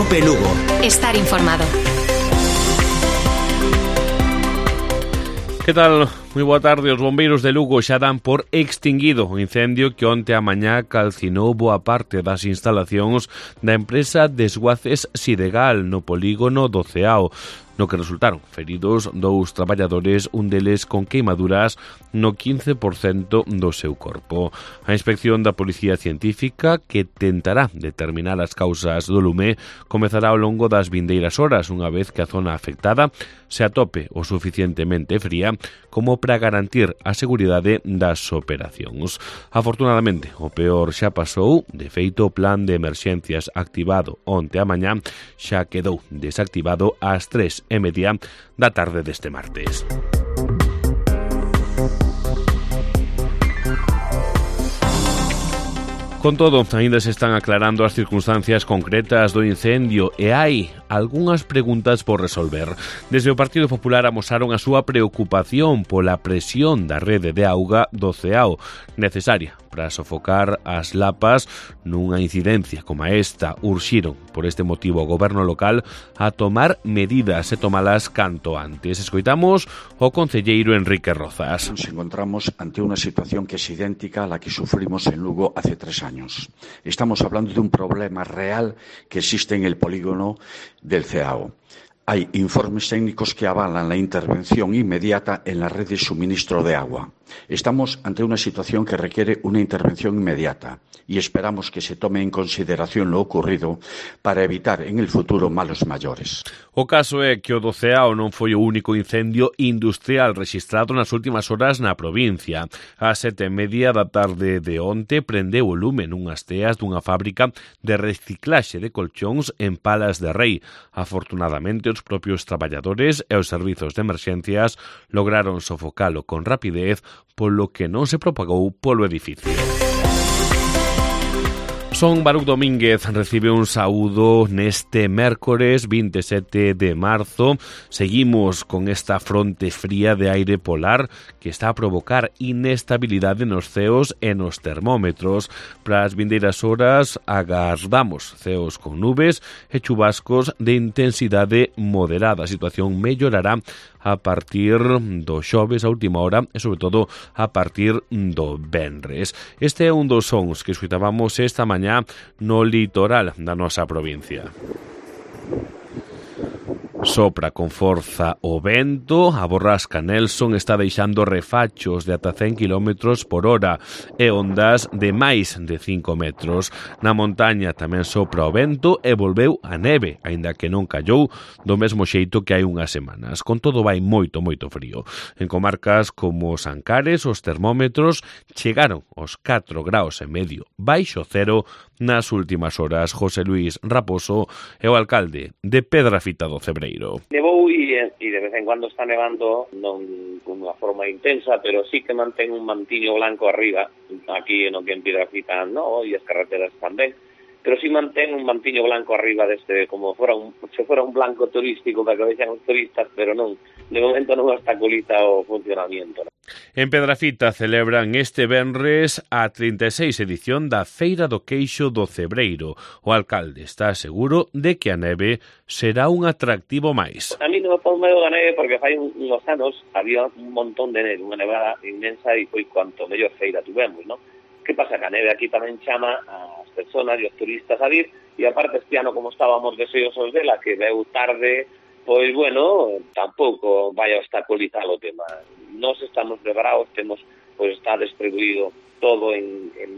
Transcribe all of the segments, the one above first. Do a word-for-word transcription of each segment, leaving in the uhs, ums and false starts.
Cope Lugo. Estar informado. Que tal? Moi boa tarde. Os bombeiros de Lugo xa dan por extinguido o incendio que onte a mañá calcinou boa parte das instalacións da empresa Desguaces Sidegal no polígono do Ceao, no que resultaron feridos dous traballadores, un deles con queimaduras no quince por cento do seu corpo. A inspección da Policía Científica, que tentará determinar as causas do lume, comezará ao longo das vindeiras horas, unha vez que a zona afectada se atope o suficientemente fría como para garantir a seguridade das operacións. Afortunadamente, o peor xa pasou. De feito, o plan de emerxencias activado onte a mañá xa quedou desactivado ás tres e media da tarde deste martes. Con todo, aínda se están aclarando as circunstancias concretas do incendio e hai algunhas preguntas por resolver. Desde o Partido Popular amosaron a súa preocupación pola presión da rede de auga do Ceao, necesaria para sofocar as lapas nunha incidencia como esta. Urxiron, por este motivo, o goberno local a tomar medidas e tomalas canto antes. Escoitamos o concelleiro Enrique Rozas. Nos encontramos ante unha situación que é idéntica a la que sufrimos en Lugo hace tres años. Estamos hablando de un problema real que existe en el polígono del Ceao. Hay informes técnicos que avalan la intervención inmediata en la red de suministro de agua. Estamos ante una situación que requiere una intervención inmediata y esperamos que se tome en consideración lo ocurrido para evitar en el futuro malos mayores. O caso é que o do Ceao non foi o único incendio industrial rexistrado nas últimas horas na provincia. A sete e media da tarde de onte prendeu o lume nunhas teas dunha fábrica de reciclaxe de colchóns en Palas de Rei. Afortunadamente, os propios traballadores e os servizos de emerxencias lograron sofocalo con rapidez, polo que non se propagou polo edificio. Son Baruch Domínguez recibe un saúdo neste mércores vinte e sete de marzo. Seguimos con esta fronte fría de aire polar que está a provocar inestabilidade nos ceos e nos termómetros. Para as vindeiras horas agardamos ceos con nubes e chubascos de intensidade moderada. A situación mellorará a partir do xoves a última hora e, sobre todo, a partir do venres. Este é un dos sons que escutábamos esta mañá no litoral da nosa provincia. Sopra con forza o vento, a borrasca Nelson está deixando refachos de ata cen kilómetros por hora e ondas de máis de cinco metros. Na montaña tamén sopra o vento e volveu a neve, aínda que non callou do mesmo xeito que hai unhas semanas. Con todo, vai moito, moito frío. En comarcas como Sancares, os termómetros chegaron aos catro graus e medio baixo cero nas últimas horas. José Luis Raposo é o alcalde de Pedrafita do Cebreiro. Nevou e, e de vez en cuando está nevando, non con unha forma intensa, pero sí que mantén un mantiño blanco arriba, aquí no que en Piedrafita no, e as carreteras tamén, pero sí mantén un mantiño blanco arriba deste, como fora un, se fora un blanco turístico para que vexan os turistas, pero non, de momento non obstaculiza o funcionamiento. ¿No? En Pedrafita celebran este venres a trinta e seis edición da Feira do Queixo do Cebreiro. O alcalde está seguro de que a neve será un atractivo máis. A mí non me pon medo da neve porque fai uns anos había un montón de neve, unha nevada inmensa e foi cuanto mellor feira tuvemos, non? Que pasa? Que a neve aquí tamén chama as personas e os turistas a vir e aparte este ano como estábamos deseosos dela que veu tarde, pois bueno, tampouco vai a obstaculizar o tema. Nós estamos preparados, temos, pois está distribuído todo en, en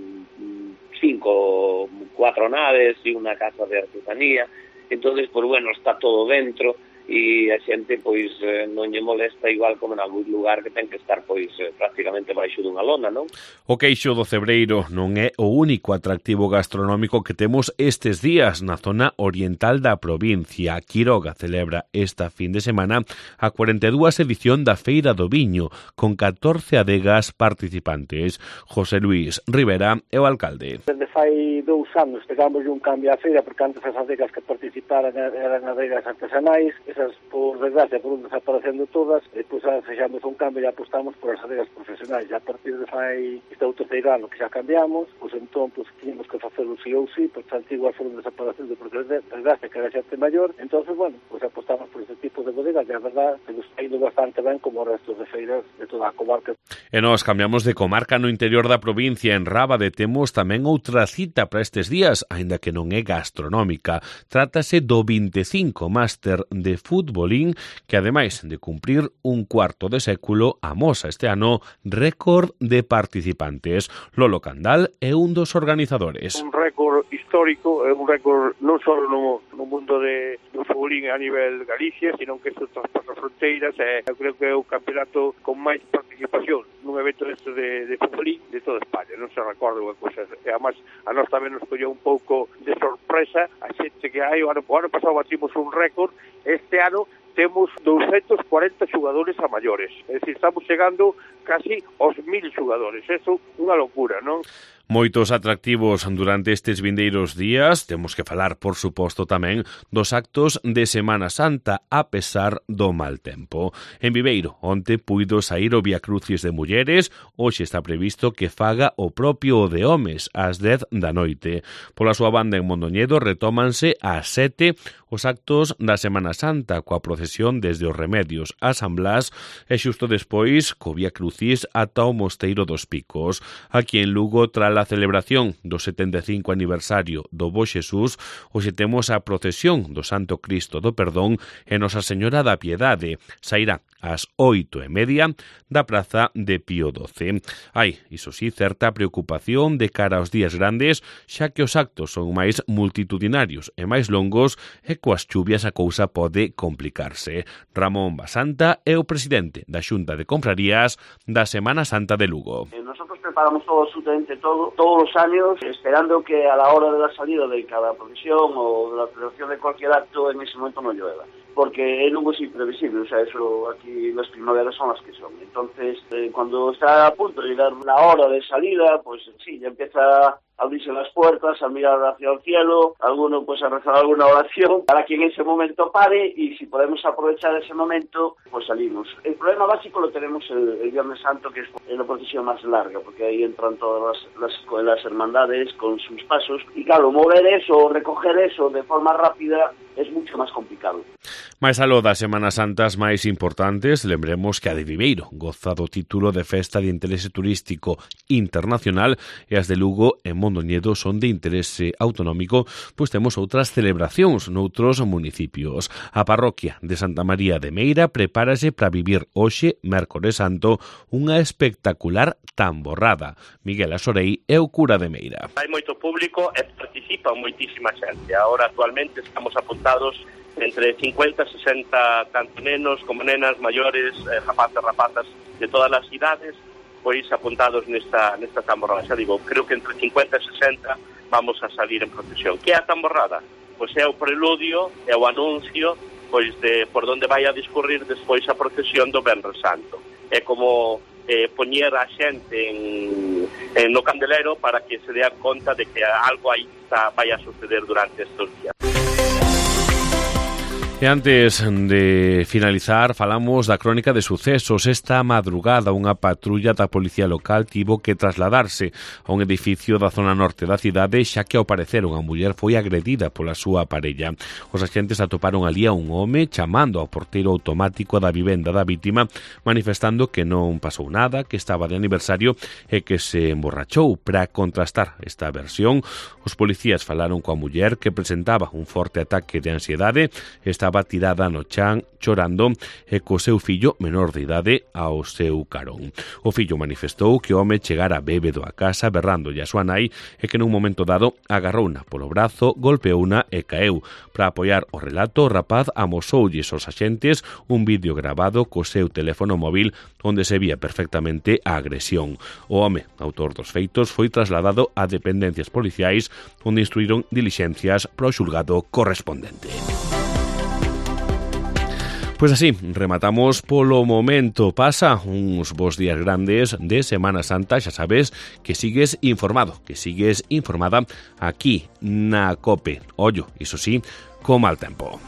cinco, cuatro naves e unha casa de artesanía, entonces, pois bueno, está todo dentro e a xente, pois, non lle molesta igual como en algún lugar que ten que estar, pois, prácticamente baixo dunha lona, non? O Queixo do Cebreiro non é o único atractivo gastronómico que temos estes días na zona oriental da provincia. Quiroga celebra esta fin de semana a cuarenta e dúas edición da Feira do Viño, con catorce adegas participantes. José Luis Rivera é o alcalde. Desde fai dous anos pegamos un cambio á feira, porque antes as adegas que participaran eran adegas artesanais. esas, por desgracia, foron desaparecendo todas, e depois fixamos un cambio e apostamos por as adegas profesionais. E a partir de fai este outro terceiro ano que xa cambiamos, pois entón, pois, tínhamos que facelo sí ou sí, pois as antiguas foron desaparecendo por desgracia que era xente maior, entón, bueno, pois apostamos por este tipo de bodegas, e a verdad, que nos está indo bastante ben como o resto de feiras de toda a comarca. E nós cambiamos de comarca no interior da provincia. En Rábade temos tamén outra cita para estes días, aínda que non é gastronómica. Trátase do vinte e cinco Máster de Futbolín, que ademais de cumprir un cuarto de século, amosa este ano récord de participantes. Lolo Candal é un dos organizadores. Un récord histórico, é un récord non só no, no mundo de, do futbolín a nivel Galicia, sino que isto traspasa fronteiras, e eu creo que é o campeonato con máis participación nun evento deste de, de futbolín de toda España, non se recorda unha cosa, e además a nós tamén nos colleu un pouco de sorpresa a xente que hai, o ano, o ano pasado batimos un récord, este ano temos doscientos cuarenta xogadores a maiores, é dicir, estamos chegando casi aos mil xogadores, eso unha locura, non? Moitos atractivos durante estes vindeiros días. Temos que falar, por suposto, tamén dos actos de Semana Santa a pesar do mal tempo. En Viveiro, onte puido saír o Vía Crucis de mulleres, hoxe está previsto que faga o propio o de homes ás dez da noite. Pola súa banda en Mondoñedo retómanse ás sete os actos da Semana Santa coa procesión desde os Remedios a San Blas e xusto despois co Vía Crucis ata o Mosteiro dos Picos. Aquí en Lugo, tras a celebración do setenta e cinco aniversario do Bo Xesús, hoxe temos a procesión do Santo Cristo do Perdón e Nosa Señora da Piedade. Sairá ás oito e media da praza de Pío doce. Hai, iso sí, certa preocupación de cara aos días grandes, xa que os actos son máis multitudinarios e máis longos e coas chuvias a cousa pode complicarse. Ramón Basanta é o presidente da Xunta de Confrarías da Semana Santa de Lugo. Nosotros preparamos todo, absolutamente todo, todos los años, esperando que a la hora de la salida de cada procesión o de la celebración de cualquier acto, en ese momento no llueva. Porque el Lugo es imprevisible, o sea, eso aquí las primaveras son las que son. Entonces, eh, cuando está a punto de llegar la hora de salida, pues sí, ya empieza a abrirse las puertas, a mirar hacia el cielo, alguno pues a rezar alguna oración para que en ese momento pare, y si podemos aprovechar ese momento, pues salimos. El problema básico lo tenemos el, el Viernes Santo, que es la procesión más larga, porque ahí entran todas las, las, las hermandades con sus pasos, y claro, mover eso, recoger eso de forma rápida es mucho más complicado. Mais aló das Semanas Santas máis importantes, lembremos que a de Viveiro goza do título de Festa de Interese Turístico Internacional e as de Lugo e Mondoñedo son de interese autonómico, pois temos outras celebracións noutros municipios. A parroquia de Santa María de Meira prepárase para vivir hoxe, Mércores Santo, unha espectacular tamborrada. Miguel Asorei é o cura de Meira. Hai moito público e participa moitísima xente. Ahora actualmente estamos apuntados entre cincuenta e sesenta tanto nenos como nenas, maiores, eh, rapazes, rapazas de todas as idades, pois apuntados nesta nesta tamborrada. Xa digo, creo que entre cincuenta e sesenta vamos a salir en procesión. Que é a tamborrada? Pois é o preludio, é o anuncio pois de por onde vai a discurrir despois a procesión do Venres Santo. É como eh, poñer a xente en, en no candelero para que se dea conta de que algo aí está, vai a suceder durante estes días. E antes de finalizar, falamos da crónica de sucesos. Esta madrugada unha patrulla da Policía Local tivo que trasladarse a un edificio da zona norte da cidade, xa que ao parecer unha muller foi agredida pola súa parella. Os agentes atoparon ali a un home chamando ao porteiro automático da vivenda da vítima, manifestando que non pasou nada, que estaba de aniversario e que se emborrachou. Para contrastar esta versión, os policías falaron coa muller, que presentaba un forte ataque de ansiedade, estaba tirada no chan chorando e co seu fillo menor de idade ao seu carón. O fillo manifestou que o home chegara bébedo a casa berrándolle a súa nai e que nun momento dado agarrouna polo brazo, golpeouna e caeu. Para apoiar o relato, o rapaz amosoulles aos axentes un vídeo grabado co seu teléfono móvil onde se vía perfectamente a agresión. O home, autor dos feitos, foi trasladado a dependencias policiais onde instruíron dilixencias para o xulgado correspondente. Pois así, rematamos polo momento. Pasa uns bons días grandes de Semana Santa. Xa sabes que sigues informado, que sigues informada aquí na COPE. Ollo, iso sí, co mal tempo.